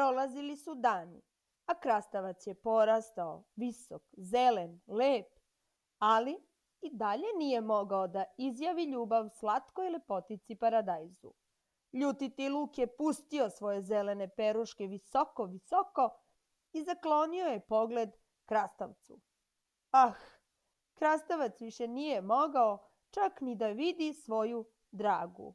Prolazili su dani, a krastavac je porastao, visok, zelen, lep, ali i dalje nije mogao da izjavi ljubav slatkoj lepotici paradajzu. Ljutiti luk je pustio svoje zelene peruške visoko, visoko i zaklonio je pogled krastavcu. Ah, krastavac više nije mogao čak ni da vidi svoju dragu.